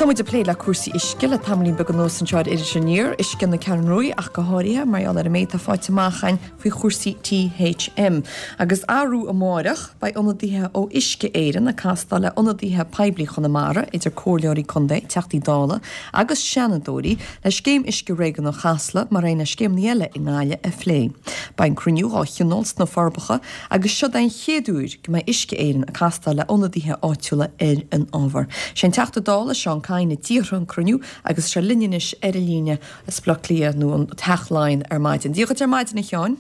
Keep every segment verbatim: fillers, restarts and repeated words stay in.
Tá muid ag plé le cúrsaí uisce le tamaillín beag anuas anseo ar Iris Aniar, uisce na Ceathrún Rua ach go háirithe mar gheall ar an méid atá faighte amach againn faoi chúrsaí THM. Agus arú amárach beidh ionadaithe ó Uisce Éireann ag castáil le ionadaithe poiblí Chonamara idir comhairleoirí contae, teachtaí dála agus seanadóirí le scéim uisce réigiúnach Chasla mar aon le scéimeanna eile i nGaillimh a phlé. Beidh an cruinniú á thionól sna Forbacha agus seo den chéad uair go mbeidh Uisce Éireann ag castáil le ionadaithe áitiúla ar an ábhar. Sé an Teachta Dála Seán Kyne a d'iarr an cruinniú agus sé linn anois ar an líne as Baile Átha Cliath nó an Teach Laighean ar maidin. Dia dhuit ar maidin a Sheáin.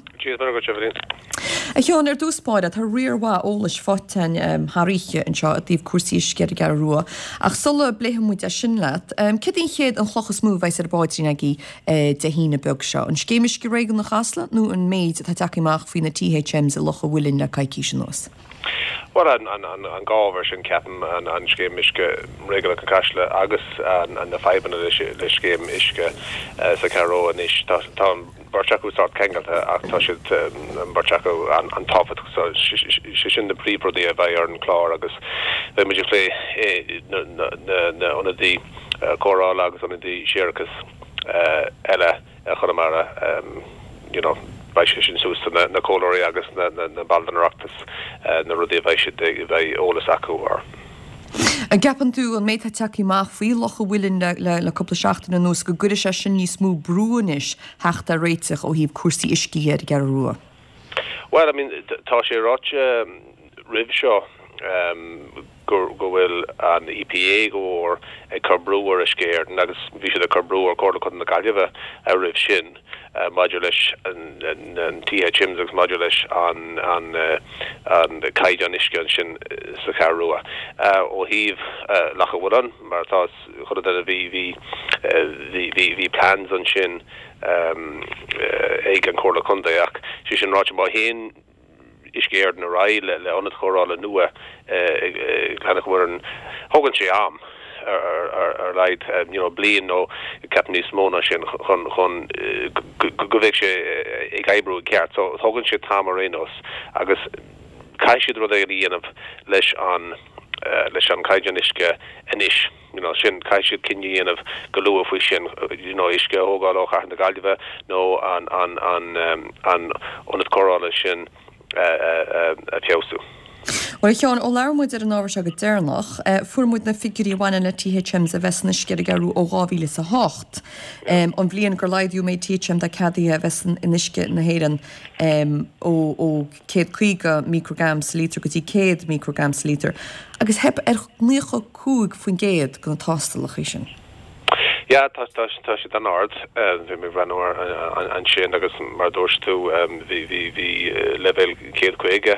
A Sheáin ar dtús báire tá riar mhaith eolais faighte um, thar oíche anseo i dtaobh cúrsaí uisce ar an gCeathrú Rua. Ach sula bpléifidh muid é sin leat, um, céard an chéad an chloch is mó a bheas ar an bpaidrín agaibh uh, Dé hAoine beag seo. An scéim uisce réigiúnach Chasla nó an méid atá tagtha amach faoi na THMs i Loch an Mhuilinn le coicís anuas. Well an an an an dhá ábhar sin ceapaim an an scéim uisce réigiúnach an Chasla agus an an na fadhbanna le le scéim uisce uh, sa Cheathrú anois tá tá an bheirt acu sórt ceangailte ach tá siad an bheirt acu an an tábhachtach so sé sin na príomhrudaí a bheidh ar an chlár agus beidh muid ag plé na na na ionadaí cóireála agus ionadaí séarachais eile Chonamara um, you know beidh sé sin suas na, na comhairleoirí agus na, na, na baill den Oireachtas uh, na rudaí a bheidh siad bheidh eolas acu ar. An gceapann tú an méid atá tagtha amach faoi Loch an Mhuilinn le, le, le cúpla seachtain anuas go gcuirfidh sé sin níos mó brú anois theacht ar réiteach ó thaobh cúrsaí uisce ar an gCeathrú Rua. Well I mean tá sé ráite roimh seo um, go go bhfuil an EPA go mór ag cur brú ar Uisce Éireann agus bhí siad ag cur brú ar Chomhairle Contae na Gaillimhe a roimh sin uh, maidir leis an, an, an THMs agus maidir leis an an uh, an caighdeán uisce ansin sa Cheathrú Rua. Uh, ó thaobh uh, Loch an Mhuilinn mar tá chuna bhí bhí bhí bhí bhí plans ansin um, uh, ag an Chomhairle Contae ach sé sin ráite má théann Uisce Éireann ar aghaidh le le ionad cóireála nua Loch an Mhuilinn thógann sé am ar ar ar leid you know bliain nó ceap níos mó ná sin chun chun go bheidh sé ag oibriú ceart so thógann sé t-am ar aon nós agus caithfidh siad rud a dhéanamh leis an uh, leis an caighdeán uisce anois you know sin caithfidh siad cinneadh a dhéanamh go luath faoi sin you know uisce a thógáil ó chathair na Gaillimhe nó an an an um, an ionad cóireála sin uh, uh, a fheabhsú. Well Sheáin ó labhair muid ar an ábhar seo go deireanach, fuair muid na figiúirí a bhaineann le THMs a bheith san uisce ar an gCeathrú ó dhá mhíle is a hocht. Um, an bhliain gur laghdaíodh méid THM atá ceadaithe a bheith san in uisce na hÉireann um, ó ó céad caoga microgram sa lítar go dtí céad microgram sa lítar, agus theip ar naocha cúig faoin gcéad de na tástálacha sin. Ja tá tá tá siad an-ard bhí mé breathnú ansin agus mar dúirt tú bhí bhí bhí leibhéal céad caoga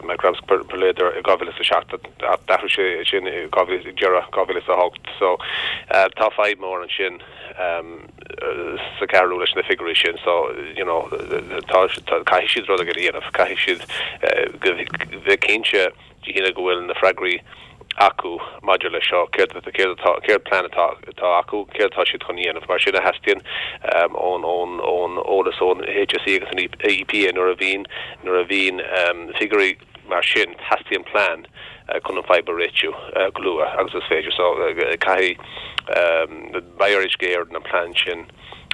micrograms per per litre i dhá mhíle is a seacht d'athraigh sé sin dhá mhíle deireadh dhá mhíle is a hocht so tá fadhb mór ansin sa Cheathrú leis na figiúirí sin so you know tá caithfidh siad rud a dhéanamh caithfidh siad bheith cinnte de go bhfuil na freagraí acu maidir le seo céard céard céard plean atá atá acu céard atá siad chun dhéanamh mar sin a theastaíonn um, ón ón ón eolas ón HSE agus an EPA nuair a bhíonn nuair a bhíonn um, figiúirí mar sin teastaíonn plean uh, chun an fadhb a réitiú uh, go luath agus is féidir so uh, caithfidh um, beidh ar Uisce Éireann an plean sin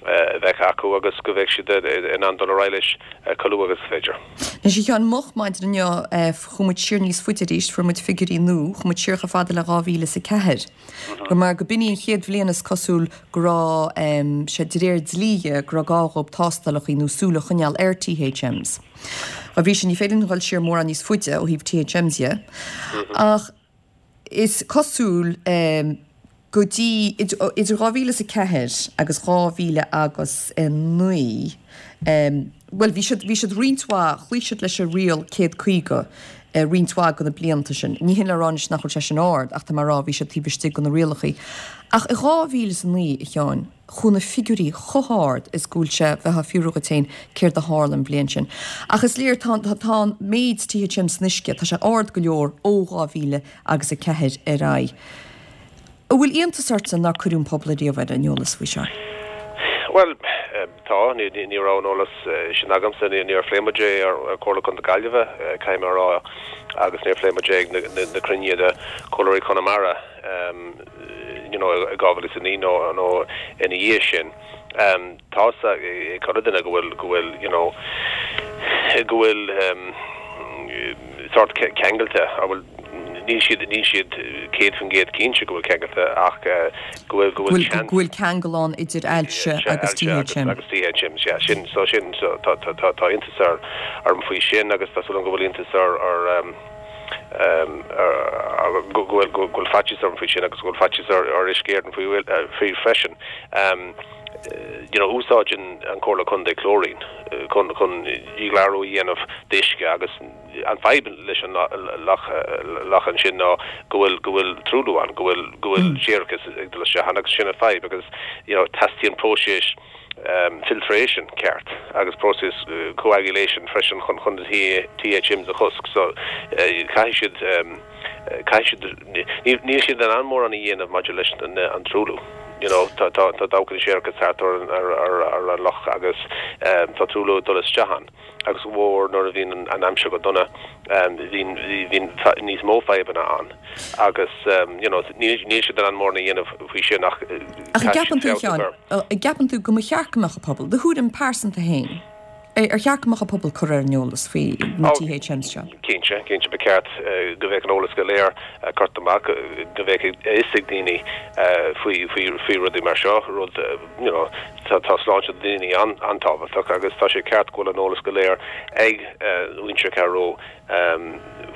uh, bheith acu agus go bheidh siad in ann dul ar aghaidh leis uh, go luath agus is féidir. Anois a Sheáin moch maidin inniu chuaigh muid siar níos faide arís fuair muid figiúirí nua, chuaigh muid siar chomh fada le dhá mhíle is a ceathair. Gur mar go b'in í an chéad bhliain is cosúil go raibh um, sé de réir dlí go raibh gá dóibh tástálacha nó súil a choinneáil ar THMs. A bhí sin ní féidir dul siar mórán níos faide ó thaobh THMs dhe. Ach is cosúil um, go dtí idir dhá mhíle is a ceathair agus dhá mhíle agus naoi um, well bhí siad bhí siad roinnt mhaith chloígh siad leis an riail céad caoga uh, roinnt mhaith de na blianta sin. Ní hin le rá nach bhfuil sé sin ard ach tá mar rá bhí siad taobh istigh de na rialacha. Ach i dhá mhíle is a naoi a Sheáin chuaigh na figiúirí chomh hard is go bhfuil sé bheith fiúragatéin céard a tharla an bhliain sin. Ach is léir tá tá méid THM san uisce tá sé ard go leor ó dhá mhíle agus a ceathair ar aghaidh. An bhfuil iontas ort nár cuireadh an pobal riamh ar an eolas faoi seo. Well tá ní ní raibh an eolas sin agamsa ní níor phléigh muid é ar Chomhairle Contae na Gaillimhe caithfidh mé a rá agus níor phléigh muid é na cruinnithe de Chomhairleoirí Chonamara you know i dhá mhíle is a naoi nó nó ina dhiaidh sin um tá ag chuile duine go bhfuil go bhfuil you know go bhfuil um sort ceangailte a bhfuil níl siad níl siad céad faoin gcéad cinnte go bhfuil ceangailte ach go bhfuil go bhfuil go bhfuil ceangal ann idir ailse agus T H M. Agus T H Ms, yeah, sin so sin so tá tá tá tá iontas ar orm faoi sin agus tá súil go bhfuil iontas ar ar um um go bhfuil go bhfuil faitíos orm faoi sin agus go bhfuil faitíos ar ar Uisce Éireann faoi faoi freisin. Um you know úsáideann an Comhairle Contae chlóirín chun chun díghlarú a dhéanamh d'uisce agus an fadhb leis an loch loch ansin ná go bhfuil go bhfuil truailliú ann, go bhfuil go bhfuil séarachas ag dul isteach ann agus sin an fadhb agus you know teastaíonn próiseas um, filtration ceart agus próiseas uh, coagulation freisin chun chun T H Ms a chosc, so uh, caithfidh siad um, caithfidh siad níl siad an mórán a dhéanamh maidir leis an, an truailliú. You know, tá tá tá dabhcha séarachas thart ar ar ar ar an loch agus um, tá truailliú dul isteach ann agus mhór nuair a bhíonn an, an aimsir go dona um, bhíonn bhíonn níos mó fadhbanna ann agus um, you know, níl níl siad an mórán a dhéanamh faoi sin ach Ach gceapann tú Sheáin, gceapann tú go mba cheart go mbeadh an pobal, do thuairim pearsanta féin. Ar cheart go mbeadh an pobal curtha ar an eolas faoi na T H Ms seo. Cinnte, cinnte ba cheart go bheadh an eolas go léir curtha amach, go bheadh a fhios ag daoine faoi faoi faoi rudaí mar seo rud you know, tá tá sláinte daoine an an-tábhachtach agus tá sé ceart go bhfuil an eolas go léir ag muintir Cheathrú um,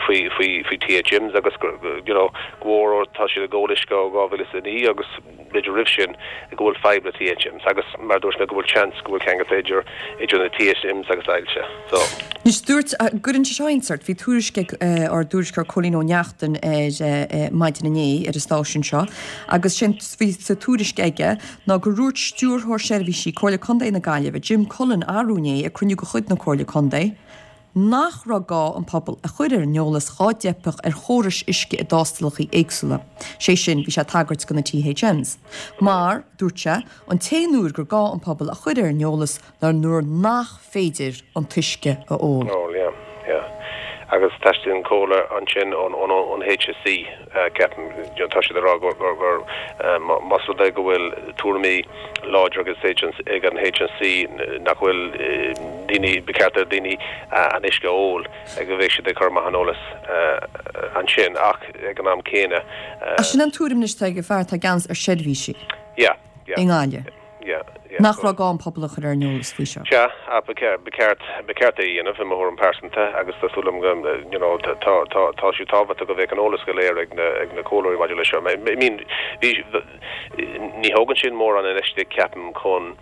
faoi faoi faoi T H Ms agus you know, go tá siad ag ól uisce ó dhá mhíle is a naoi agus b'fhéidir roimh sin go bhfuil fadhb le T H Ms agus mar dúirt mé go bhfuil chance go bhfuil ceangal idir idir na T H Ms agus ailse. So. Anois dúirt gurinn seo insert, bhí tuairisc ár dtuairisceoir Cóilín Ó Neachtain ar maidin inné ar an stáisiún seo, agus sin bhí sa tuairisc aige ná gur dhúirt stiúrthóir seirbhísí Comhairle Contae na Gaillimhe Jim Cullen arú inné ag cruinniú de chuid na Comhairle Contae, nach raibh gá an pobal a chur ar an eolas dhá dteipfeadh ar chórais uisce i dtástalacha éagsúla. Sé sin bhí sé ag tagairt do na T H Ms. Mar dúirt sé an t-aon uair gur gá an pobal a chur ar an eolas ná nuair nach féidir an t-uisce a ól. Oh, yeah, yeah. Agus teastaíonn comhairle ansin ón ón ón H S E ceapaim tá siad rá gur gur gur más rud é go bhfuil tuairimí láidir agus ag an H S E nach bhfuil daoine ba cheart do daoine an uisce a ól ag go bheidh siad ag cur amach an eolas ansin ach ag an am céanna. A sin an tuairim ag fear atá i gceannas ar seirbhísí. Yeah, yeah. I nGaillimh. Yeah, yeah. Nach raibh gá an pobal a chur ar an eolas faoi seo. Sea, ba cheart ba cheart é a dhéanamh i mo thuairim pearsanta agus tá súil agam you know, tá tá tá sé tábhachtach go bheadh an eolas go léir ag na ag na comhairleoirí maidir leis seo. I mean ní thógann sin mórán infheistíocht ceapaim chun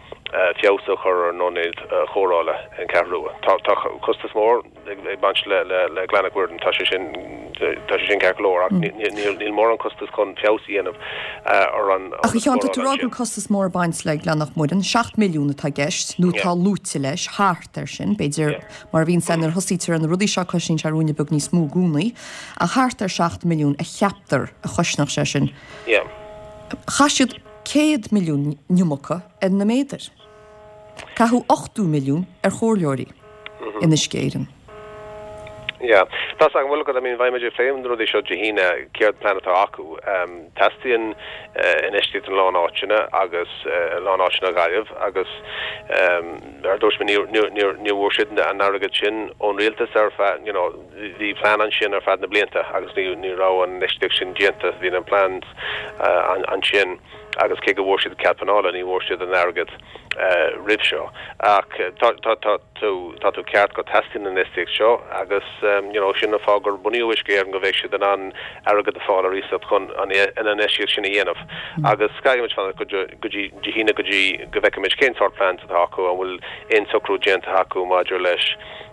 feabhas a chur ar an ionad chóireála an Cheathrú Rua. Tá tá costas mór ag baint le le le Glanadh Mhuirtheann tá sé sin tá sé sin ceart go leor ach níl níl mórán costas chun feabhas a dhéanamh ar an Ach chean tú rá go costas mór baint le Glanadh Mhuirtheann, seacht milliún atá i gceist nó tá luaite leis thart ar sin, b'fhéidir mar bhíonn san ar thosaítear an rudaí seo cosnaíonn sé ruainne beag níos mó i gcónaí, ach thart ar seacht milliún a cheaptar a chosnódh sé sin. Yeah. Chaith siad céad milliún iomarca ar na méadair. Caitheadh ochtó milliún ar chomhairleoirí in Uisce Éireann. Yeah, Tá an bhfuil go I mean bheidh muid ag plé na rudaí seo Dé hAoine céard plean atá acu. Um, Teastaíonn uh, infheistíocht in lán áiteanna agus uh, lán áiteanna Gaillimh agus um, ar dúirt mé ní bhfuair siad an airgead sin ón rialtas ar feadh you know, bhí plean ansin ar feadh na blianta agus ní ní raibh an infheistíocht sin déanta bhí an plean uh, an, ansin agus cé go bhfuair siad cead pleanála ní bhfuair siad an airgead uh, roimh seo. Ach tá tá tá tú tá tú ceart go dteastaíonn an infheistíocht seo agus um, you know, sin an fáth gur bunaíodh Uisce Éireann go bheidh siad in ann airgead a fháil ar iasacht chun an an infheistíocht sin a dhéanamh. Mm. Agus caithfimid fanacht go dtí Dé hAoine go dtí go bhfeicfimid cén sórt plean atá acu an bhfuil aon socrú déanta acu maidir leis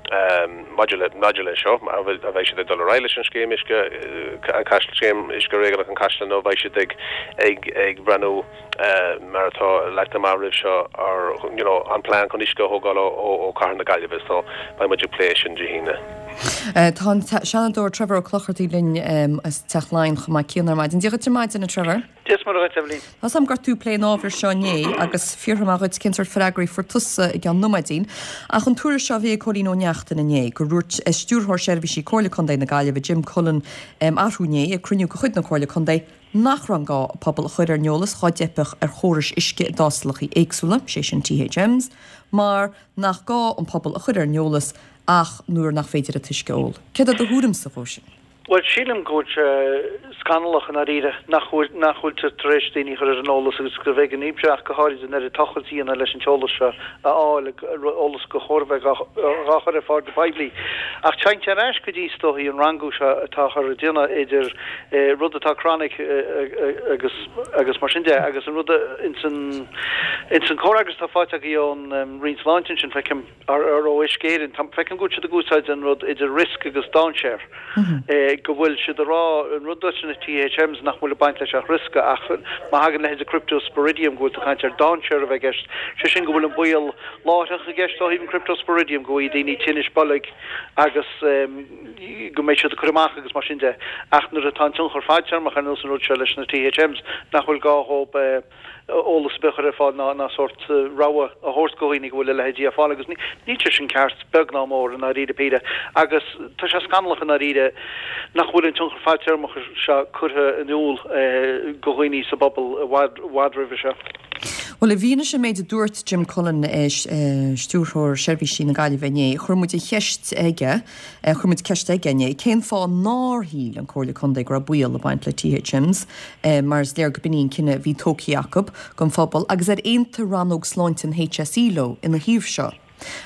um, maidir le maidir le seo a bheidh siad ag dul ar aghaidh leis an scéim uisce an scéim uisce réigiúnach an Chaisleáin nó beidh siad ag ag ag breathnú uh, mar atá leagtha amach roimh seo ar you know, an plean chun uisce a thógáil ó ó Chathair na Gaillimhe so beidh muid ag plé sin Dé hAoine. Uh, tá an Seanadóir Trevor Ó Clochartaigh linn um, as Teach Laighean chomh maith céanna ar maidin. Dia dhuit ar maidin a Trevor. Dia is Muire dhuit. Tá sam gur tú plé an ábhar seo inné agus fiafróidh mé díot cén sórt freagraí a fuair tusa i gceann nóiméidín. Ach an tuairisc seo a bhí ag Cóilín Ó Neachtain inné gur dhúirt stiúrthóir seirbhísí Comhairle Contae na Gaillimhe Jim Cullen um, arú inné ag cruinniú de chuid na Comhairle Contae nach raibh gá an pobal a chur ar an eolas dhá dteipfeadh ar chórais uisce i dtástálacha éagsúla, sé sin THMs, mar nach gá an pobal a chur ar an eolas ach nuair nach féidir an t-uisce a ól. Céard é do thuairimse dhó sin? Bhuel, sílim go bhfuil sé scannalach i ndáiríre nach bhfuil nach bhfuiltear tar éis daoine a chur ar an eolas agus go bhféadfaidh an IPSE ach go háirid an oiread tochailt a dhéanamh leis an t-eolas seo a fháil, eolas gur chóir a bheith dhá chur ar fáil go poiblí. Ach téann sé ar ais go dtí is dóichí an rangú seo atáthar a dhéanamh idir rud atá chronic agus agus mar sin de agus an rud ins an ins an comhfhreagras atá faighte againn ón Roinn Sláinte ansin feicim ar ar ó Uisce Éireann feicim go bhfuil siad ag úsáid an rud idir risk agus dainséar. go bhfuil siad ag rá an rud leis na THMs nach bhfuil ag baint leis ach riosca ach má thagann leithéid de Cryptosporidium go bhfuil tú ag caint ar dainséar a bheith i gceist, sé sin go bhfuil an baol láithreach i gceist ó thaobh an Cryptosporidium go bhfaighidh daoine tinnis boilg agus go mbeidh siad ag cur amach agus mar sin de ach nuair atá an tionchar fadtéarmach ar nós an rud seo leis na THMs nach bhfuil gá dhóibh eolas ar bith a chur ar fáil ná ná sórt rabhadh a thabhairt go dhaoine go bhfuil a leithéidí ar fáil agus níl sé sin ceart beag ná mór i ndáiríre píre agus tá sé scannalach i ndáiríre nach bhfuil an tionchar fadtéarmach seo curtha in iúl go dhaoine sa bpobal i bhfad i bhfad roimhe seo. Bhuel, i bhfianaise an méid a dúirt Jim Cullen, Stiúrthóir Seirbhísí na Gaillimhe inné, chuir muid an cheist aige, chuir muid ceist aige inné, cén fáth nár shíl an Comhairle Contae go raibh baol ag baint le THMs, mar is léir go b'in í an cinneadh a bhí tógtha acu don phobal, agus ar aontaigh rannóg sláinte an HSE leo ina thaobh seo.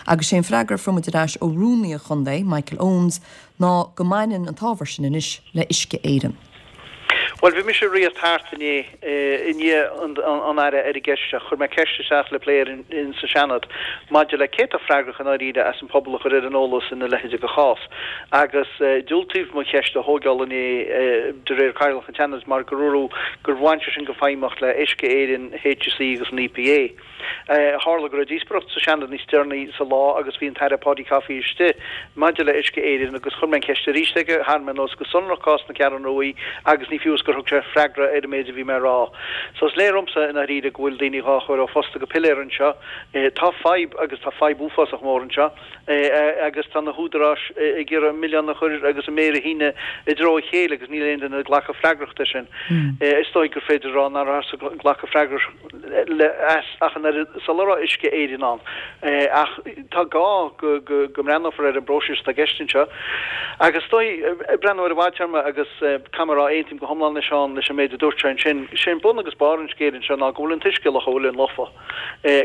Agus sé an freagra a fuair muid ar ais ó Rúnaí an Chontae, Michael Owens, ná go mbaineann an t-ábhar sin anois le Uisce Éireann. Bhuel, bhí mise ag rith thart inné, i ndiaidh an Aire ar an gceist seo. Chuir mé ceist isteach le plé in sa Seanad maidir le cé atá freagrach i ndáiríre as an pobal a chur ar an eolas ina leithéid de chás. Agus diúltaíodh mo cheist a thógáil inné de réir Chathaoirleach an tSeanaid mar gur dúradh gur bhain sé sin go feidhmeach le Uisce Éireann, HSE agus an EPA. Tharla go raibh díospóireacht sa Seanad níos deireanaí sa lá agus bhí an tAire Paudie Coffey istigh maidir le Uisce Éireann agus chuir mé an cheist arís aige, tharraing mé anuas go sonrach cás na Ceathrún Ruaidh agus ní fiú is gur thug sé freagra ar an méid a bhí mé a rá. So is léir dhomsa i ndáiríre go bhfuil daoine dhá chur ó phosta go piléar anseo. Tá fadhb agus tá fadhb uafásach mór anseo agus tá na húdaráis ag iarraidh an milleán a chur agus an méar a shíneadh i dtreo a chéile agus níl aon duine ag glacadh freagrachta as sin. Is dóigh gur féidir a rá nach rabhthas ag glacadh freagrachta as ach an oiread sula raibh Uisce Éireann ann. Ach tá gá go go mbreathnófar ar an bpróiseas atá i gceist anseo. Agus is dóigh, ag breathnú ar an bhfadtéarma agus caithfidh mé a rá, aontaím go hiomlán le Seán leis an méid a dúirt sé ansin, sé an bun agus barr an scéil anseo ná go bhfuil an t-uisce i Loch a' Mhuilinn lofa,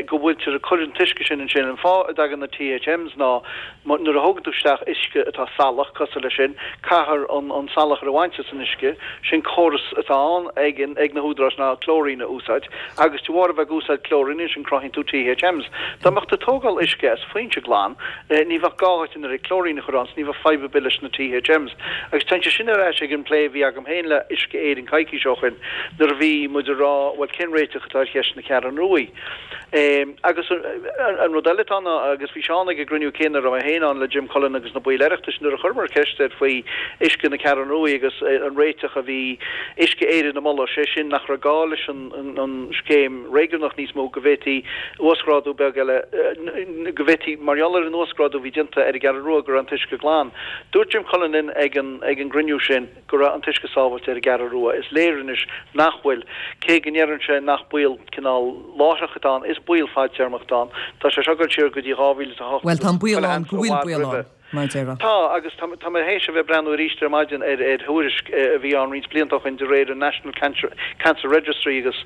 go bhfuiltear ag cur an t-uisce sin ansin. An fáth a dtagann na THMs ná nuair a thógann tú isteach uisce atá salach, cosúil leis sin, caithfear an salachar a bhaint as an uisce. Sin córas atá ann ag ag na húdaráis ná clóirín a úsáid agus de bharr a bheith ag úsáid clóirín ansin cruthaíonn tú THMs. Dá mbeadh tú ag tógáil uisce as foinse glan, ní bheadh gá dhuit an oiread clóirín a chur ann 's ní bheadh fadhb ar bith leis na THMs. Agus téann sé sin ar ais ag an bplé a bhí agam féin le Uisce Éireann coicís ó shin nuair a bhí muid ag rá bhuel cén réiteach atá ar cheist na Ceathrún Ruaidh? Agus an rud eile atá ann ná, agus bhí Seán ag an gcruinniú céanna a raibh mé féin ann le Jim Cullen agus na baill Oireachtais nuair a chuireamar ceist air faoi uisce na Ceathrún Ruaidh agus an réiteach a bhí Uisce Éireann a mholadh, sé sin nach raibh gá leis an scéim réigiúnach níos mó, go bhféadfaí uasghrádú beag eile, go bhféadfaí, mar gheall ar an uasghrádú a bhí déanta ar an gCeathrú Rua go raibh an t-uisce glan. Dúirt Jim Cullen linn ag an gcruinniú sin. go raibh an t-uisce sábháilte ar an gCeathrú Rua. Is léir anois nach bhfuil. Cé go ndeireann sé nach baol cineál láithreach atá ann, is baol fadtéarmach atá ann. Tá sé seo ag dul siar go dtí dhá mhíle is a hocht Bhuel, tá agus an baol chuile ann sheans go i bhfuil bhfad baol roimhe. ann, mar a déarfá. Tá, agus tá, tá mé théis a bheith ag breathnú arís ar maidin ar, ar thuairisc a bhí ann roinnt blianta ó shin de réir an National Cancer, Cancer Registry agus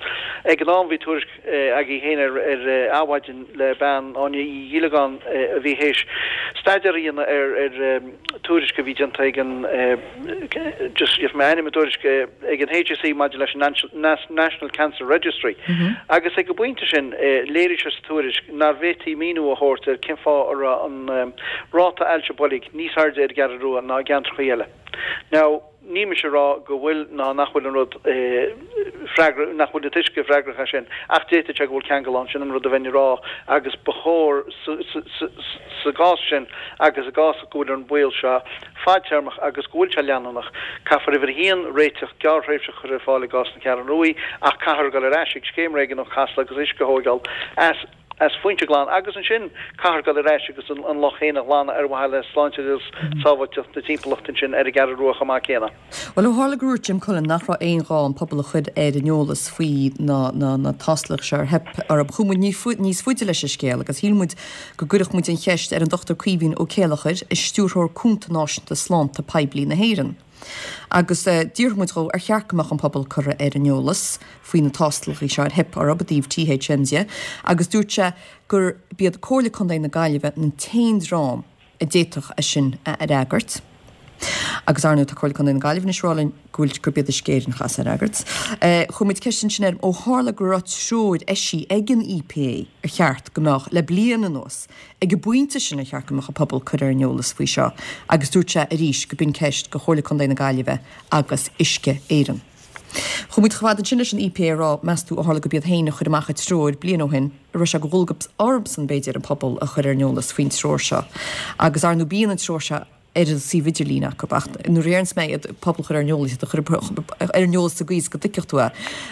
ag an am bhí tuairisc agaibh féin ar, ar Adhmhaidin le bean, Áine Uí Ghiollagáin, a bhí théis staidéar a dhéanamh ar, ar tuairisc a bhí déanta ag an, just gheobhaidh mé ainm an tuairisc ag an HSE maidir leis an National Cancer Registry agus ag an bpointe sin léirigh sé sa tuairisc nár bhféadfaí míniú a thabhairt ar cén fáth a raibh an ráta ailse boilg níos airde ar an gCeathrú Rua ná i gceantracha eile. Now, ní mise a rá go bhfuil ná nach bhfuil an rud freagra, nach bhfuil an t-uisce freagrach as sin, ach d'fhéadfadh sé go bhfuil ceangal ann, sin an rud a bheinn a rá agus ba chóir sa gcás sin agus i gcás go bhfuil an baol seo fadtéarmach agus go bhfuil sé leanúnach, caithfear uimhir a haon réiteach gearrthréimhseach a chur ar fáil i gcás na Ceathrún Ruaidh ach caithfear dul ar ais ag scéim réigiúnach Chasla agus uisce a thóigeáil as as foinse glan agus ansin caithfear dul ar ais agus an loch féin a ghlanadh ar mhaithe le sláinte agus sábháilteacht na timpeallachta ansin ar an gCeathrú Rua chomh maith céanna. Bhuel, ó tharla gur dhúirt Jim Cullen nach raibh aon ghá an pobal a chur ar an eolas faoi na na na tástálacha seo ar theip orthu, chuaigh muid níos faide leis an scéal agus shíl muid go gcuirfeadh muid an cheist ar an Dochtúir Caoimhín Ó Céileachair, Stiúrthóir Cúnta Náisiúnta Sláinte Poiblí na hÉireann. Agus d'fhiafraigh muid dhó ar cheart go mbeadh an pobal curtha ar an eolas faoi na tástálacha seo ar theip orthu i dtaobh T H Ms dhe agus dúirt sé gur b'iad Comhairle Contae na Gaillimhe an t-aon dream a d'fhéadfadh é sin a fhreagairt. Agus ar ndóigh tá Comhairle Contae na Gaillimhe anois ag rá linn go bhfuil gurb iad Uisce Éireann a chaithfeas é a fhreagairt. Chuir muid ceist ansin air ó tharla go raibh treoir eisithe ag an E P A ar cheart go mbeadh le bliain anuas ag an bpointe sin ar cheart go mbeadh an pobal curtha ar an eolas faoi seo agus dúirt sé arís go b'in ceist do Chomhairle Contae na Gaillimhe agus Uisce Éireann. Chuaigh muid chomh fada ansin leis an E P A a rá meas tú ó tharla gurb iad féin a chuir amach an treoir bliain ó shin a raibh sé de dhualgas orthusan b'fhéidir an pobal a chur ar an eolas faoin treoir seo. Agus ar ndóigh bíonn an treoir seo ar an suíomh idirlín acu ach nuair a deireanns mé iad pobal chur ar an eolas iad a chur ar an eolas sa gcaoi is go dtuigfeadh tú é.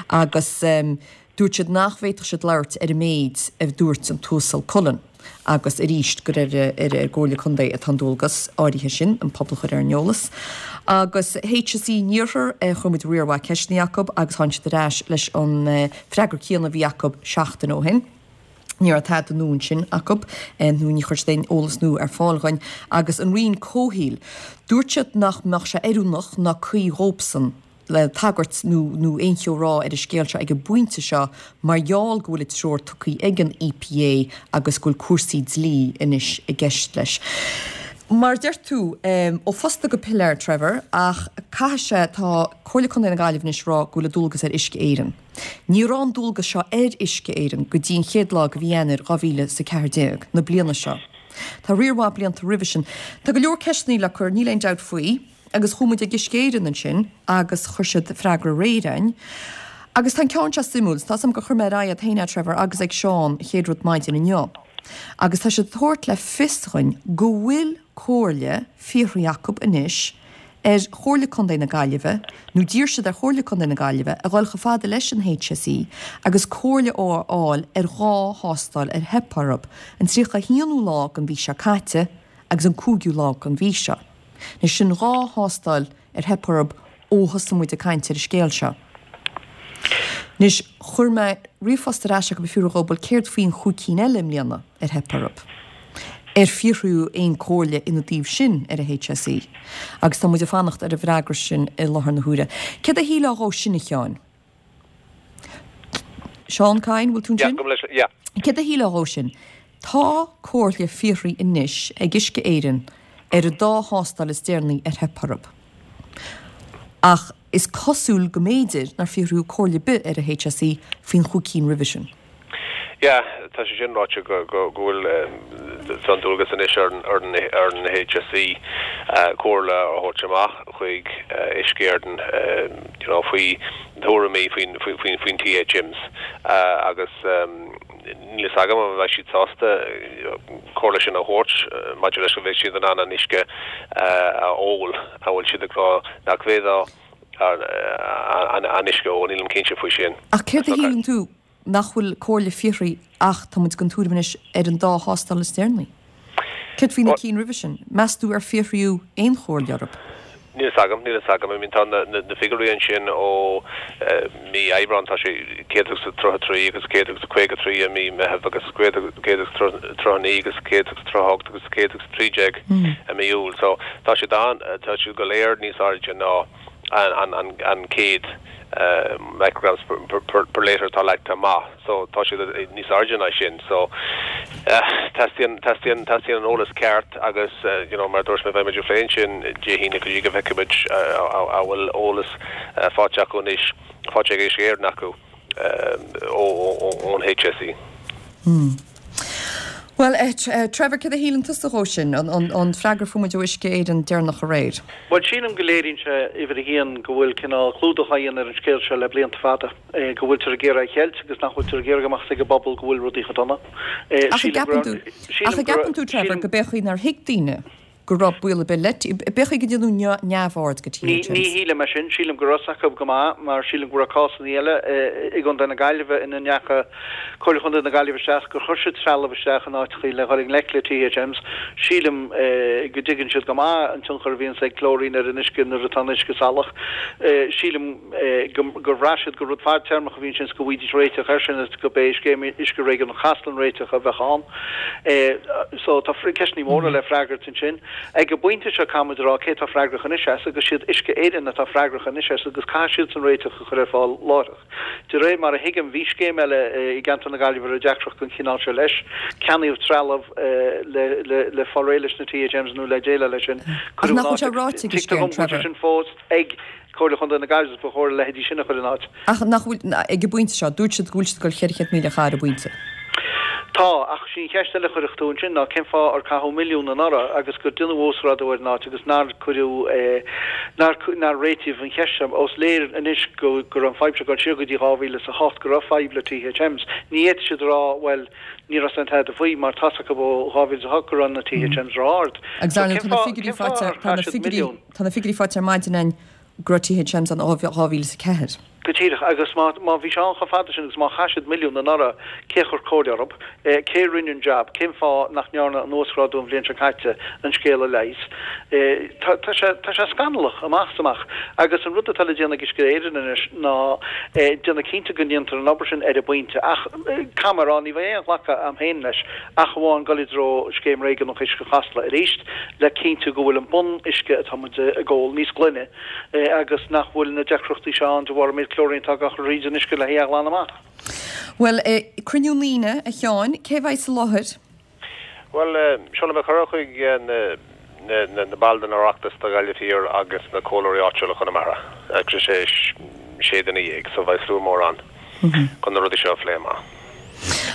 Agus um, dúirt siad nach bhféadfadh siad labhairt ar an méid a dúirt an tUasal Cullen. Agus arís gur ar ar ar gComhairle Contae atá an dualgas áirithe sin an pobal chur ar an eolas. Agus H S E an Iarthair chuir muid riar mhaith ceisteanna acu agus tháinig siad ar ais leis an freagra céanna a bhí acu seachtain ó shin. Ní raibh tada nua ansin acu nó ní chuir siad aon eolas nua ar fáil dhuinn agus an Roinn Comhshaoil. Dúirt siad nach mbeadh sé oiriúnach ná cuí dhóibhsean le tagairt nó nó aon cheo rá ar an scéal seo ag an bpointe seo mar gheall go bhfuil an treoir tugtha ag an E P A agus go bhfuil cúrsaí dlí anois i gceist leis. Mar deir tú um, ó phosta go piléar, Trevor, ach caithfidh sé tá Comhairle Contae na Gaillimhe anois rá go bhfuil an dualgas ar Uisce Éireann. Ní raibh an dualgas seo ar Uisce Éireann go dtí an chéad lá de mhí Eanáir dhá mhíle is a ceathair déag na bliana seo. Tá riar mhaith blianta roimhe sin. Tá go leor ceisteanna le cur, níl aon dabht faoi, agus chuaigh muid ag Uisce Éireann ansin agus chuir siad freagra réidh. Agus tá ceann seo suimiúil, tá sam go chur mé raiad héine Trevor agus ag Seán chéad rud maidin inniu. Agus tá siad ag tabhairt le fios dhuinn go bhfuil comhairle fiafraithe acu anois ar Chomhairle Contae na Gaillimhe, nó d'iarr siad ar Chomhairle Contae na Gaillimhe a dhul chomh fada leis an H S E agus comhairle a fháil ar dhá thástáil ar theip orthu, an tríocha haonú lá den mhí seo caite agus an cúigiú lá den mhí seo. Anois sin dhá thástáil ar theip orthu ó thosaigh muid ag caint ar an scéal seo. Anois chuir mé ríomhphost ar ais go fiú bhuel céard faoin chúig cinn eile i mbliana ar theip orthu. Ar fiafraíodh aon chomhairle ina dtaobh sin ar an H S E, agus tá muid ag fanacht ar an bhfreagra sin i láthair na huaire. Céard a shílfeá dhó sin, a Sheáin? Seán Kyne, bhfuil tú sin? Céard a shílfeá dhó sin? Tá comhairle fiafraithe anois ag Uisce Éireann ar an dá thástáil is deireanaí ar theip orthu. Ach is cosúil go mb'fhéidir nár fiafraíodh comhairle ar bith ar an H S E faoin chúig cinn roimhe sin. Ja, tá sé sin ráite go bhfuil an dualgas anois ar ar an H S E comhairle a thabhairt amach chuig Uisce Éireann faoi thuairimí faoin faoin T H Ms agus níl a fhios agam an bheidh siad sásta comhairle sin a thabhairt maidir leis go bhfuil siad in ann an uisce a ól a bhfuil siad ag rá nach bhféadfá an uisce ó nílim cinnte faoi sin. Ach céard a shíleann tú nach bhfuil comhairle fiafraithe ach tá muid den tuairim anois ar an dá thástáil is deireanaí? Céard faoi na cinn roimhe sin, meas tú ar fiafraíodh aon chomhairle orthu? Níl a fhios agam, níl a fhios agam, I mean tá na, na, na figiúirí ansin ó uh, mí Aibreán tá sé céad agus tríocha trí agus céad agus caoga trí i mí Meitheamh agus céad agus tríocha naoi agus céad agus tríocha hocht agus céad agus trí déag i mí Iúil. So tá sé dan tá sé go léir níos airde ná an, an, an, an céad uh, micrograms per, per, per, per litre atá leagtha amach. So tá sé níos airde ná sin. So uh, teastaíonn teastaíonn teastaíonn an eolas ceart agus uh, you know, mar dúirt mé bheimid ag plé sin Dé hAoine go dtí go bhfeicfimid uh, a bhfuil eolas uh, faighte acu anois faighte ag Uisce Éireann acu ón H S E. Hmm. Well uh, Trevor, céard a shíleann tusa dhó sin an, an, an freagra a fuair muid ó Uisce Éireann deireanach aréir. Well sílim go léiríonn sé uimhir a haon go bhfuil cineál clúdach á dhéanamh ar an scéal seo le blianta fada go bhfuiltear ag iarraidh a cheilt agus nach bhfuiltear ag iarraidh amach ag an bpobal go bhfuil rudaí chomh dona. Ach an gceapann tú Trevor go b'fhéidir nár thuig daoine go raibh baol ar bith le b'fhéidir go ndéanadh neamhaird de Ní T H Ms. Ní shílim é sin, sílim go raibh a fhios acu go maith mar sílim go raibh cásanna eile i gContae na Gaillimhe ina ndeacha Comhairle Chontae na Gaillimhe isteach gur chuir siad trealamh isteach in áiteachaí le dhul i ngleic le T H Ms. Sílim go dtuigeann siad go maith an tionchar a bhíonns ag clóirín ar an uisce nuair atá an uisce salach. Sílim gur bhraith siad gur rud fadtéarmach a bhí ansin is go bhfaighidís réiteach air sin is go b'é Scéim Uisce Réigiúnach Chasla an réiteach a bheadh ann. So tá ceisteanna móra le freagairt ansin. Ag an bpointe seo caithfimid a rá cé atá freagrach anois as agus siad Uisce Éireann atá freagrach anois as agus caithfidh siadsan réiteach a chur ar fáil láithreach. De réir mar a thuigim bhí scéim eile i gceantar na Gaillimhe a raibh deacracht den chineál seo leis. Ceannaíodh trealamh le le le fáil réidh leis na T H Ms nó le déileáil leis sin. Ach nach bhfuil sé ráite ag Tuigtear Uisce dom Éireann, go bhfuil sé Trevor? sin fós ag Comhairle Chontae na Gaillimhe agus ba chóir a leithéidí sin a chur in áit. Ach nach bhfuil ag an bpointe seo, dúirt siad go bhfuil siad ag dul ceithre chéad míle a chaitheamh ar an bpointe. Tá, ach sí an cheist eile a chuirfeadh tú ansin ná cén fáth ar caitheadh milliún anuraidh agus gur deineadh uasghrádú ar an áit agus nár cuireadh, nár, nár réitíodh an cheist seo. Ós léir anois go, go raibh an fadhb seo ag dul siar go dtí dhá mhíle is a hocht, go raibh fadhb le T H Ms. Ní fhéadfaidh siad a rá, bhuel, ní raibh aon tada faoi mar tá's acu ó dhá mhíle is a hocht go raibh na T H Ms ró-ard. Agus So ar ndóigh cén tá na fáth, figiúirí cén fáth faighte, ar tá na chaith siad figiúirí, milliún? tá na figiúirí faighte ar maidin againn go raibh T H Ms ann ó dhá mhíle is a ceathair. Go díreach, agus má má bhí sé ann chomh fada sin agus má chaith siad milliún anuraidh, cé a chuir comhairle orthu? Cé a rinne an jab? Cén fáth nach ndearna an uasghrádú an bhliain seo caite an scéal a leigheas? Tá tá sé tá sé scannalach amach is amach. Agus an rud atá le déanamh ag Uisce Éireann anois ná déanamh cinnte go ndéantar an obair sin ar an bpointe. Ach caithfidh mé a rá, ní bheidh aon ghlacadh agam féin leis ach amháin dul i dtreo Scéim Réigiúnach Uisce Chasla arís le cinntiú go bhfuil an bun uisce atá muid ag ól níos glaine agus nach bhfuil na deacrachtaí seo ann de bharr an méid clóirín atá á chur thríd an uisce le hé a ghlanadh amach. Bhuel, cruinniú na hAoine, a Sheáin, cé a bheidh sa láthair? Bhuel, seolfaidh mé cuireadh chuig na na baill den Oireachtas do Ghaillimh Thiar agus na comhairleoirí áitiúla Chonamara. Agus sé sé duine dhéag, so beidh slua mór ann chun na rudaí seo a phlé amach.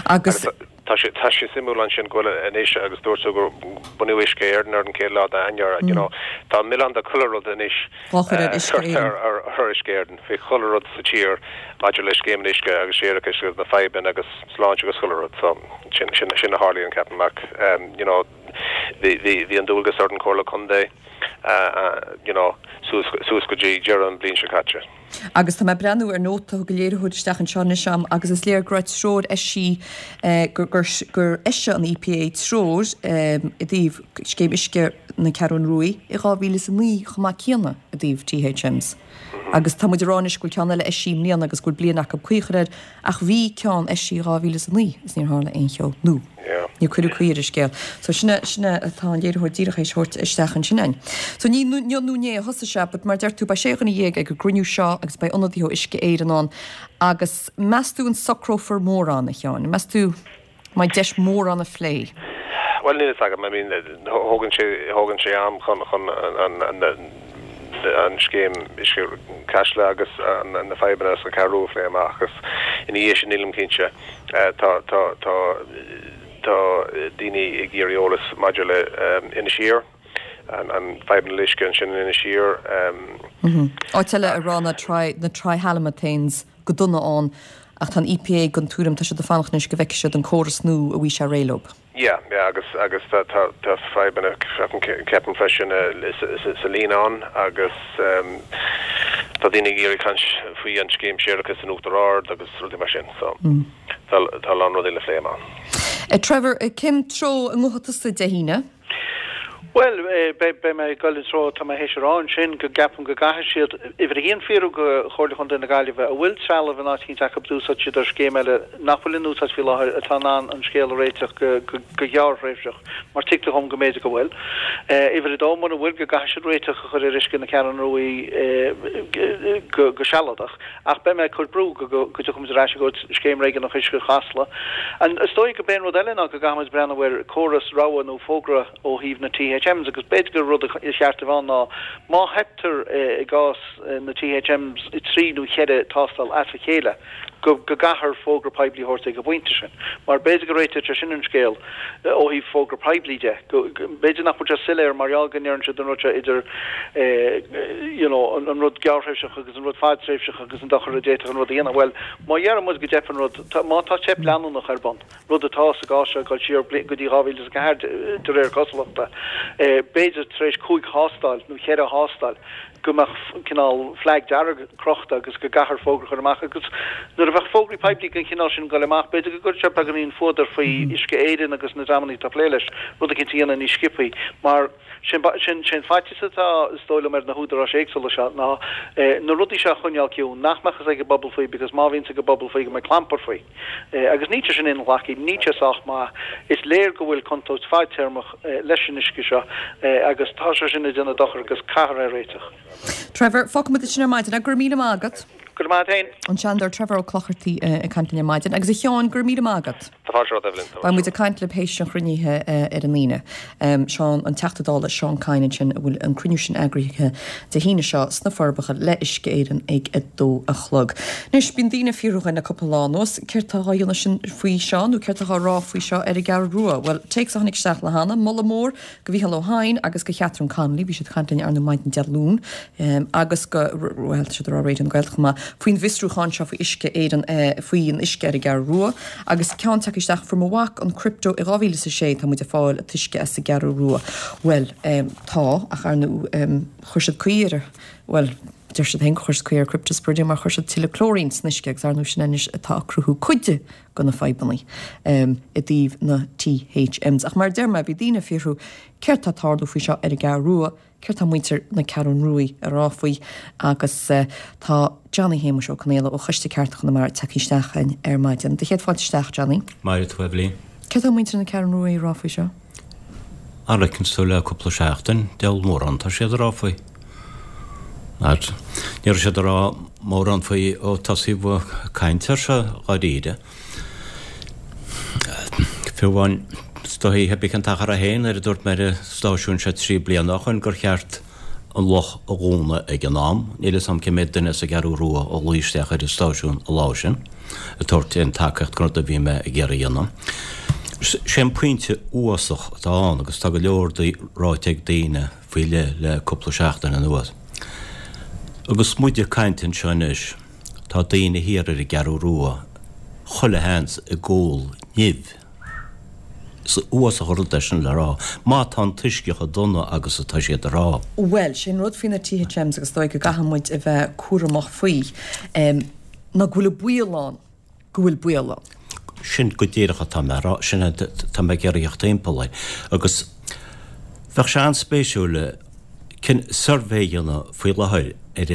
Agus. Tá sé tá sé suimiúil ansin go bhfuil anois agus dúirt tú gur bunaíodh Uisce Éireann ar an chéad lá d'Eanáir, you know, tá milleán de chuile rud anois Dhá chur ar Uisce curtha Éireann. ar ar Uisce Éireann faoi chuile rud sa tír maidir le scéim an uisce agus séarachais agus na fadhbanna agus sláinte agus chuile rud. So sin sin sin a tharlaíonn ceapaim ach um, you know, bhí bhí bhí an dualgas ar an Comhairle Contae uh, uh, you know, suas suas go dtí deireadh an bhliain seo caite. Agus tá mé ag breathnú ar nóta thug an léiritheoir isteach anseo anois a'm agus is léir go raibh treoir eisithe gur gur gur eisigh an E P A treoir i dtaobh scéim uisce na Ceathrún Rua i dhá mhíle is a naoi chomh maith céanna i dtaobh T H Ms. Agus tá muid ag rá anois go bhfuil ceann eile eisithe i mbliana agus go bhfuil bliain acu caoi a chur air ach bhí ceann eisithe i dhá mhíle is a naoi is níor tharla aon cheo nó níor cuireadh caoi ar an scéal. So sin é sin é atá an léiritheoir díreach théis thabhairt isteach ansin againn. So ní inniu nó inné a thosaigh sé but mar deir tú beidh sé dhuine dhéag ag an gcruinniú seo agus beidh ionadaithe ó Uisce Éireann ann agus meas tú an socrófar mórán, a Sheáin? Meas tú an mbeidh deis mórán a phlé? Well níl a fhios agam, I mean thógann sé thógann sé am chun chun an an an scéim uisce Chasla agus na fadhbanna sa Cheathrú a phlé amach agus ina dhiaidh sin nílim cinnte tá tá tá tá daoine ag iarraidh eolas maidir le Inis Oírr an an fadhbanna le uisce ansin in Inis Oírr. Áit eile a raibh na tri na trihalomethanes go dona ann ach tá an E P A den tuairim tá siad ag fanacht anois go bhfeicfidh siad an córas nua a bhí sé réidh leo. Yeah, yeah, agus agus tá tá tá fadhbanna ceapaim freisin sa Líonán agus tá daoine ag iarraidh caint faoi an scéim séarachais in Uachtar Ard agus rudaí mar sin, so tá tá a lán rudaí le plé amach. Trevor, cén treo a ngabhfaidh tusa Dé hAoine? Bhuel, beidh mé ag dul i dtreo, tá mé théis a rá ansin go gceapaim go gcaithfidh siad, uimhir a haon, fiafraí de Chomhairle Chontae na Gaillimhe, an bhfuil trealamh in áit eicínt acu d'úsáid siad ar scéim eile nach bhfuil in úsáid faoi láthair atá in ann an scéal a réiteach go gearrthréimhseach, mar tuigtear dhom go mb'fhéidir go bhfuil. Uimhir a dó, mura bhfuil, go gcaithfidh siad réiteach a chur ar uisce na Ceathrún Rua go sealadach. Ach beidh mé ag cur brú go dtiocfaimid ar ais go Scéim Réigiúnach Uisce Chasla. Is dóigh go b'é an rud eile ná go gcaithfimid breathnú ar córas rabhadh nó fógra ó thaobh na T H Ms agus b'fhéidir gur rud a cheart a bheith ann ná má theiptear i gcás na T H Ms i trí nó cheithre tástáil as a chéile go go gcaithfear fógra poiblí a thabhairt ag an bpointe sin. Mar b'fhéidir go réiteodh sé sin an scéal ó thaobh fógra poiblí de. Go b'fhéidir nach bhfuil sé soiléir mar gheall go ndeireann siad an rud seo idir you know an rud gearrthréimhseach agus an rud fadtréimhseach agus an dochar a d'fhéadfadh an rud a dhéanamh. Bhuel, má dheireann muid go dteip an rud, má tá teip leanúnach ar bun, rud atá sa gcás seo ag dul siar go dtí dhá mhíle is a ceathair de réir cosúlachta. B'fhéidir tar éis cúig thástáil nó ceithre thástáil go mbeadh cineál flag dearg crochta agus go gcaithfear fógra a chur amach agus nuair a bheadh fógraí poiblí den chineál sin ag dul amach, b'fhéidir go gcuirfeadh sé beagáinín fuadair faoi Uisce Éireann agus na dreamanna atá ag plé leis, rud eicínt a dhéanamh níos sciobthaí mar sin sin faitíos atá is dóigh liom ar na húdaráis éagsúla seo ná na rudaí seo a choinneáil ciúin, nach mbeadh fhios ag an bpobal faoi because má bhíonns ag an bpobal faoi go mbeidh clampar faoi. Agus níl sé sin inghlactha, níl sé sách maith. Is léir go bhfuil contúirt fadtéarmach leis an uisce seo agus tá sé sin ag déanamh dochar agus caithfear é a réiteach. Trevor, fágfaidh muid ansin ar maidin. Go raibh míle maith agat. Go raibh maith agat féin. An Seanadóir Trevor Ó Clochartaigh ag caint linn ar maidin. Agus a Sheáin, go raibh míle maith agat. Tá fáilte romhat, Evelyn. Beidh muid ag caint libh théis an chruinnithe ar an Aoine. Seán, an Teachta Dála Seán Kyne ansin a bhfuil an cruinniú sin eagraithe Dé hAoine seo sna Forbacha le Uisce Éireann ag a dó a chlog. Anois, bíonn daoine ag fiafraí dhínn le cúpla lá anuas, céard tá á dhéanamh sin faoi seo nó céard tá á rá faoi seo ar an gCeathrú Rua? Bhuel, téacs a tháinig isteach le hAnna, moladh mór go Mhícheál Ó hEidhin agus go Chatherine Connolly, bhí siad ag caint linn ar ndóigh maidin Dé Luain, agus go, bhuel, tá siad ag rá Raidió na Gaeltachta chomh maith, faoin bhfiosrúchán seo faoi Uisce Éireann, faoin uisce ar an gCeathrú Rua, agus ceann tagtha isteach, fuair mo mhac an crypto i dhá mhíle is a sé, tá muid ag fáil an t-uisce as an gCeathrú Rua. Bhuel, tá, ach ar ndóigh, chuir siad caoi ar, bhuel, deir siad féin gur chuir siad caoi ar cryptosporidium mar chuir siad tuilleadh clóirín san uisce agus ar ndóigh sin anois atá ag cruthú cuid de na fadhbanna i dtaobh na THMs. Ach mar a deir mé, bhí daoine ag fiafraí céard tá ag tarlú faoi seo ar an gCeathrú Rua, Céard tá muintir na Ceathrún Ruaidh a rá faoi? Agus tá Johnny Shéamuis Ó Conaola ó Choiste Cearta Chonamara tagtha isteach chugainn ar maidin. Do chéad fáilte isteach, Johnny. Mairfidh tú, Eibhlín. Céard tá muintir na Ceathrún Ruaidh a rá faoi seo? Mar a fheiceanns tú le cúpla seachtain, diabhal mórán atá siad a rá faoi. Mar ní raibh siad a rá mórán faoi ó tosaíodh caint air seo dháiríre. Fiú amháin, is dóichí cibé cén t-achar é féin nuair a dúirt mé ar an stáisiún seo trí bliana ó shoin gur cheart an loch a dhúnadh ag an am, níl 'fhios a'm cé mhéad duine as an gCeathrú Rua a ghlaoigh isteach ar an stáisiún an lá sin ag tabhairt aon tacaíocht don rud a bhí mé ag iarraidh a dhéanamh. Sé an pointe uafásach atá ann agus tá go leor ráite ag daoine faoi leith le cúpla seachtain anuas. Agus muid ag caint anseo anois, tá daoine thiar ar an gCeathrú Rua chuile sheans ag ól nimh. Is uafásach an rud é sin le rá, má tá an t-uisce chomh dona agus atá siad a rá. Bhuel, sé an rud faoi na THMs agus is dóigh go gcaithfidh muid a bheith cúramach faoi, ná go bhfuil an baol ann go bhfuil baol ann. Sin go díreach atá mé a rá, sin atá mé ag iarraidh theacht timpeall air. Agus bheadh sé an-spéisiúil suirbhé a dhéanamh faoi láthair ar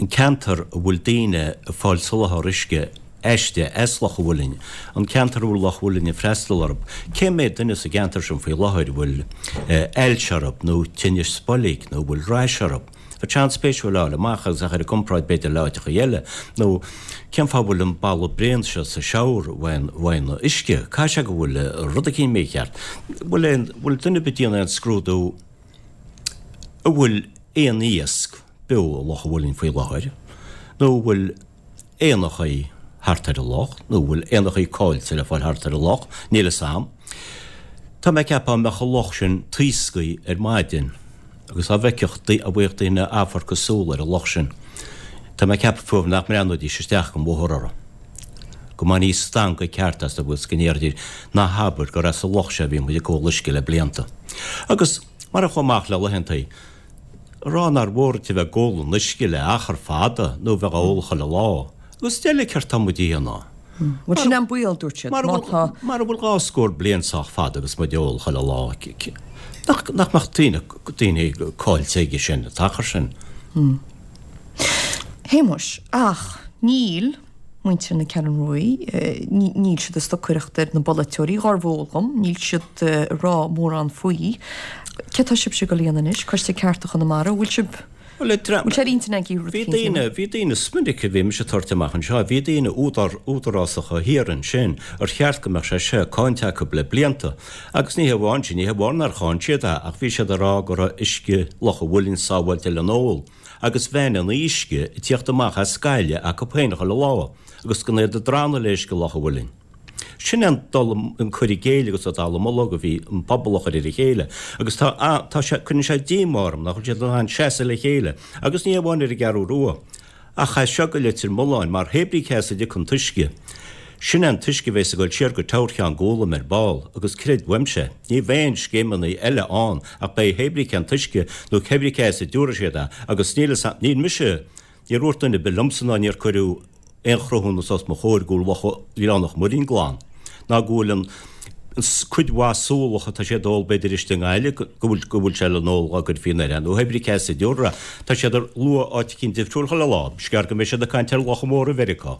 an ceantar a bhfuil daoine ag fáil soláthar uisce aisti, as Loch an Mhuilinn, an ceantar a bhfuil Loch an Mhuilinn ag freastal orthu. Cé mhéad duine sa gceantar sin faoi láthair a bhfuil ailse orthu nó tinneas boilg nó a bhfuil rash orthu? Bheadh sé an-spéisiúil a fháil amach agus a chur i gcomparáid b'fhéidir le áiteacha eile. Nó cén fáth a bhfuil an boladh bréan seo sa shower uaidh an uisce? Caithfidh sé go bhfuil rud eicínt mícheart. Bhfuil aon, bhfuil duine ar bith ag déanamh aon scrúdú an bhfuil aon iasc beo i Loch an Mhuilinn faoi láthair nó an bhfuil éanachaí thart ar an loch, nó an bhfuil éanachaí caillte le fáil thart ar an loch, níl 'fhios a'm. Tá mé ag ceapadh dá mbeadh an loch sin taosctha ar maidin agus dá bhfeicfeadh, dá bhfaigheadh daoine amharc súl ar an loch sin, tá mé ag ceapadh fiú nach mbreathnóidís isteach den bhóthar orthu. Go mbainfí stangadh ceart astu agus go ndéarfaidís, ná habair gur as an loch seo a bhí muid ag ól uisce le blianta. Agus mar a chuaigh amach le laethantaí, a rá nár mhór duit a bheith ag ól an uisce le achar fada nó bheith á ól chuile lá. Agus deile céard tá muid a dhéanamh? Bhuel, sin an baol, dúirt siad, má tá. Mara bhfuil dhá scór bliain sách fada agus muid ag ól chuile lá, nach mbeadh daoine, daoine caillte aige sin, an t-achar sin? Shéamuis, ach níl. muintir na Ceathrún Ruaidh, níl siad ag stocaireacht ar na bpolaiteoirí, dhár bhfeol dhom, níl siad ag rá mórán faoi. Céard tá sibhse ag dul a dhéanamh anois, Coiste Cearta Chonamara, bhfuil sibh, Bhuel, bhfuil sé ar intinn agaibh rud bhí éicint a daoine, dhéanamh? bhí daoine, is minic a bhí mise ag tabhairt amach anseo, bhí daoine údar, údarásacha thiar ansin ar cheart go mbeadh sé seo cáinte acu le blianta. Agus ní hamháin sin, ní hamháin nár cháin siad é, ach bhí siad ag rá go raibh uisce Loch an Mhuilinn sábháilte le n-ól. agus bheinn an uisce ag tíocht amach as scaile acu féin chuile lá, agus gan iad ag drannadh le uisce Loch an Mhuilinn. Sin é an dul, an cur i gcéill agus an dallamullóg a bhí an pobal a chur ar a chéile, agus tá, tá sé, cuireann sé díomá orm nach bhfuil siad in ann seasamh le chéile, agus ní amháin ar an gCeathrú Rua, ach as seo go Leitir Mealláin, mar hé brí cé as a dtiocfaidh an t-uisce, Sin é an t-uisce a bheas ag dul siar go Teamhair Cheann Gólaim ar ball, agus creid uaimse, ní bheidh aon scéimeanna eile ann ach beidh hébrí cén t-uisce nó cébrí cé as a dtiúrfaidh siad é, agus níl fhios a'm, níl mise, níor dhúirt duine ar bith liomsa ná níor cuireadh aon chruthúnas os mo chomhair go bhfuil Loch Ghleann an Mhuirinn glan, ná go bhfuil an cuid mhaith súlach atá siad a ól b'fhéidir istigh i nGaillimh, go bhfuil, go bhfuil sé le n-ól dá gcuirfí anoir é, nó hébrí cé as a dtiúrfar é. Tá siad ag lua áit eicínt difriúil chuile lá, is gearr go mbeidh siad ag caint ar locha móra Mheiriceá.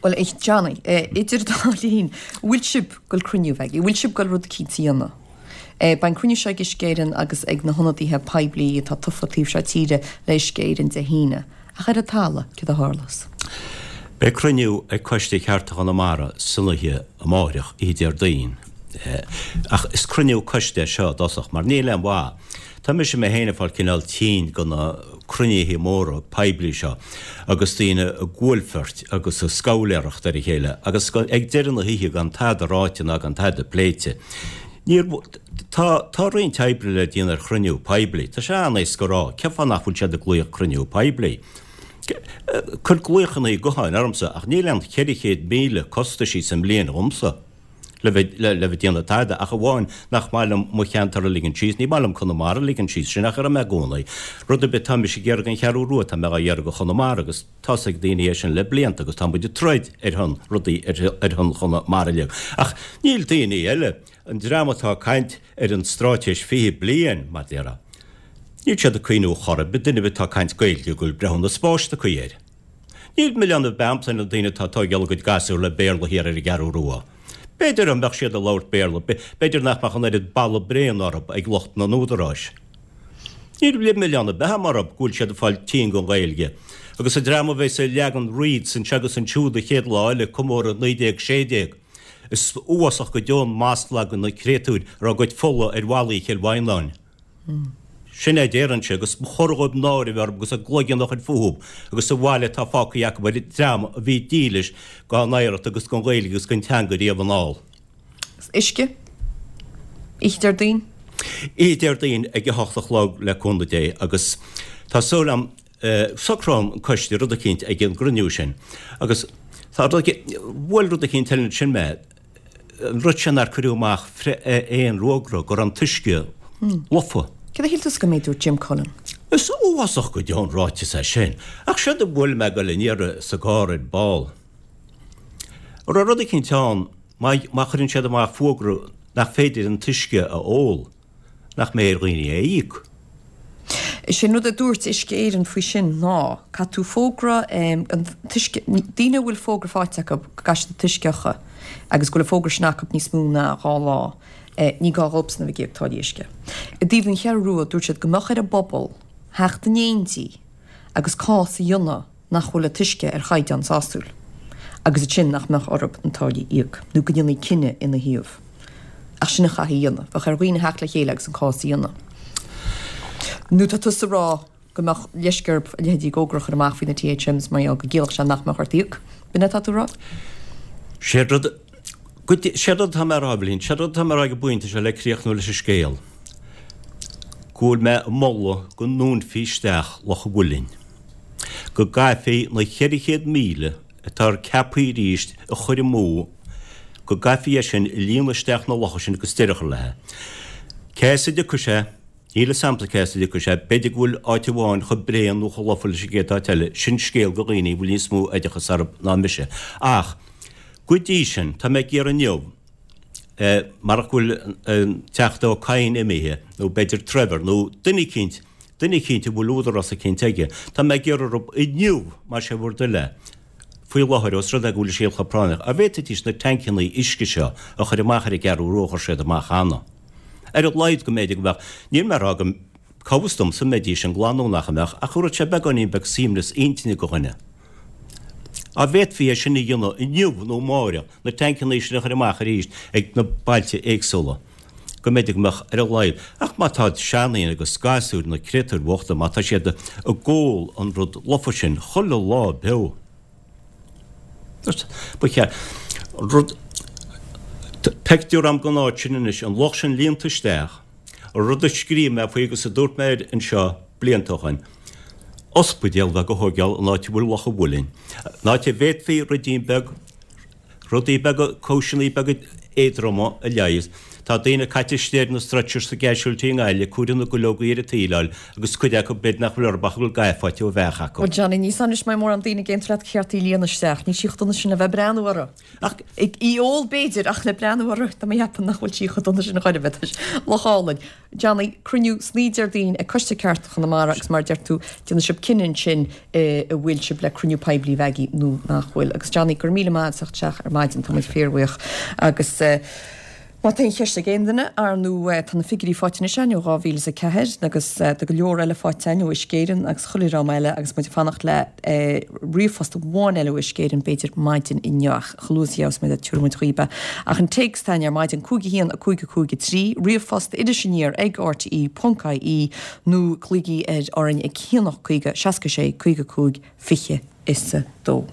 Bhuel, a Johnny, idir dá linn, bhfuil sibh ag goil cruinniú a bheith agaibh? Bhfuil sibh ag goil rud eicínt a dhéanamh? Beidh an cruinniú seo ag Uisce Éireann agus ag na hionadaithe poiblí atá tofa taobh seo tíre le Uisce Éireann Dé hAoine. Ach ar an talamh, céard a tharlós? Beidh cruinniú ag Coiste Chearta Chonamara san oíche amáireach, oíche Déardaoin. Ach is cruinniú coiste é seo i dtosach, mar níl aon mhaith. Tá mise mé féin ag fáil cineál tinn de na cruinnithe móra poiblí seo agus daoine ag buailfeirt agus ag scabhailéireacht ar a chéile agus ag deireadh na hoíche gan tada ráite ná gan tada pléite. Níor, tá, tá roinnt oibre le déanamh ar chruinniú poiblí. Tá sé an-éasca a rá, cén fáth nach bhfuil siad ag glaoch cruinniú poiblí? Cuir glaochanna gutháin ormsa ach níl aon cheithre chéad míle costaisí sa mbliain dhomsa. le bheith le bheith ag déanamh tada, ach amháin nach maith liom mo cheantar a ligean síos, ní maith liom Conamara a ligean síos, sin nach raibh mé i gcónaí. Rud ar bith atá mise ag iarraidh don Cheathrú Rua, tá mé á iarraidh do Chonamara agus tá's ag daoine é sin le blianta agus tá muid ag troid ar shon rudaí ar ar shon Chonamara uilig. Ach níl daoine eile, an dream atá ag caint ar an straitéis fiche bliain, mar déarfá, níl siad ag cuimhniú chor ar bith, duine ar bith atá ag caint Gaeilge go bhfuil breithiúnas báis tagtha air. Níl milleán ar bith a'msa ar na daoine atá ag tóigeáil a gcuid gasúr le Béarla thiar ar an gCeathrú Rua. B'fhéidir dá mbeadh siad ag labhairt Béarla, b'fhéidir nach mbeadh an oiread balla bréan orthu ag lucht na n-údaráis. Níl milleán ar bith a'm orthu go bhfuil siad ag fáil tinn den Ghaeilge. Agus an dream a bheas ag leagan wreaths anseo agus ansiúd an chéad lá eile ag comóradh naoi déag sé déag, is uafásach go deo an masla do na créatúir a raibh a gcuid fola ar bhallaí Chill Mhantáin. Sin é a déarfainnse, agus ba chóir dhóibh náire a bheith orthu agus a gcloigeann a chur fúthu agus sa bhaile atá fágtha acu ar an dream a bhí dílis dá n-oidhreacht agus don Ghaeilge agus don teanga riamh anall. Uisce? Oíche Déardaoin? Oíche Déardaoin ag a hocht a chlog le cúnamh Dé agus tá súil agam socróidh an coiste rud eicínt ag an gcruinniú sin agus tá rud eicínt, bhuail rud eicínt eile ansin mé, an rud sin nár cuireadh amach aon fhógra go raibh an t-uisce lofa. Céard a shíl tusa den méid a dúirt Jim Cullen? Is uafásach go deo an ráiteas é sin. Ach séard a bhuail mé ag dul aniar sa gcarr ar ball. An raibh rud eicínt ann má má chuireann siad amach fógra nach féidir an t-uisce a ól, nach mbeidh ar dhaoine é a íoc? Is é an rud a dúirt Uisce Éireann faoi sin ná, caithfidh tú fógra an t-uisce, daoine a bhfuil fógra faighte acu go gcaithfidh siad an t-uisce a fhiuchadh agus go bhfuil an fógra sin acu níos mó ná dhá lá, ní gá dhóibhsan a bheith ag íoc táillí uisce. I dtaobh den Cheathrú Rua, dúirt siad go mbeadh ar an bpobal theacht in éindí agus cás a dhéanamh nach bhfuil an t-uisce ar chaighdeán sásúil agus ansin nach mbeadh orthu na táillí a íoc nó go ndéanfaí cinneadh ina thaobh. Ach sin a chaithfí a dhéanamh. Bheadh ar dhaoine theacht le chéile agus an cás a dhéanamh. Nó tá tusa ag rá go mbeadh leisce orthu a leithéidí fógra a chur amach faoi na THMs mar gheall go gciallódh sé nach mbeadh ort íoc. B'in é atá tú a rá? Sé rud, sé rud atá mé a rá, Eibhlín, sé rud atá mé a rá ag an bpointe seo le críochnú leis an scéal, go bhfuil mé ag moladh go ndúnfaí isteach Loch an Mhuilinn. go gcaithfí na ceithre chéad míle atá ceaptha arís a chur amú, go gcaithfí é sin a líonadh isteach na locha sin agus deireadh a chur léi. Cé as a dtiocfaidh sé? Níl fhios a'msa cé as a dtiocfaidh sé. B'fhéidir go bhfuil áit amháin chomh bréan nó chomh lofa leis an gcéad áit eile. Sin scéal do dhaoine a bhfuil níos mó oideachas orthu ná mise. Ach go dtí sin, tá mé ag iarraidh inniu, marach go bhfuil an Teachta Ó Cadhain imithe, nó b'fhéidir Trevor, nó duine eicínt, duine eicínt a bhfuil údarás eicínt aige, tá mé ag iarraidh orthu inniu, más é bhur dtoil é, faoi láthair, ós rud é go bhfuil an scéal chomh práinneach, an bhféadfaidís na tancannaí uisce seo a chur amach ar an gCeathrú Rua a chuir siad amach cheana. Ar a laghad go mb'fhéidir go mbeadh, níl mé ag rá go, cá bhfios domsa an mbeidís an glan nó nach mbeadh, ach thabharfadh sé beagáinín beag suaimhneas intinne do dhuine. An bhféadfaí é sin a dhéanamh inniu nó amáireach, na tancannaí sin a chur amach arís ag na bailte éagsúla, go mb'fhéidir go mbeadh ar a laghad. Ach má tá seandaoine agus gasúir, na créatúir bhochta, má tá siad ag ól an rud lofa sin chuile lá beo, ba cheart rud, pictiúr a'm den áit sin anois, an loch sin líonta isteach, An rud a scríobh mé faoi agus a dúirt mé air anseo blianta ó shoin, ospidéal bheag a thóigeáil in áit a bhfuil Loch an Mhuilinn, in áit a bhféadfaí ruidín beag, Rudaí beaga, cúiseanna beaga éadroma a leigheas. Tá daoine caite istigh ar na stretchers sa gcasualty i nGaillimh, cuaire na gcuileogaí ar an tsaoileáil agus cuid acu b'fhéidir nach bhfuil orthu ach go bhfuil gath faighte ó bheach acu. Bhuel Johnny, ní san anois mbeidh mórán daoine ag aontú leat ceart í líonadh isteach. Níl sí chomh dona sin le bheith ag breathnú orthu. Ach ag í ól b'fhéidir ach le breathnú orthu tá mé ag ceapadh nach bhfuil sí chomh dona sin a chor ar bith. Tá sé loch álainn. Johnny, cruinniú san oíche Déardaoin ag Coiste Cearta Chonamara agus mar a deir tú, déanfaidh sibh cinneadh ansin an bhfuil sibh le cruinniú poiblí a bheith agaibh nó nach bhfuil. Agus Johnny, go raibh míle maith agat as teacht isteach ar maidin, tá muid fíorbhuíoch. Agus má tá aon cheist ag aon duine, ar ndóigh tá na figiúirí faighte anois againn ó dhá mhíle is a ceathair agus tá go leor eile faighte againn ó Uisce Éireann agus chuile dhream eile agus muid ag fanacht le ríomhphost amháin eile ó Uisce Éireann b'fhéidir maidin inniu ach chomh luath is a gheobhas muid é tabharfaidh muid dhaoibh é. Ach an téacs atá againn ar maidin cúig a haon a cúig a cúig a trí, ríomhphost iris aniar ag rte ponc ie nó glaoigí ar orainn ag haon ocht caoga seasca sé caoga cúig fiche is a dó.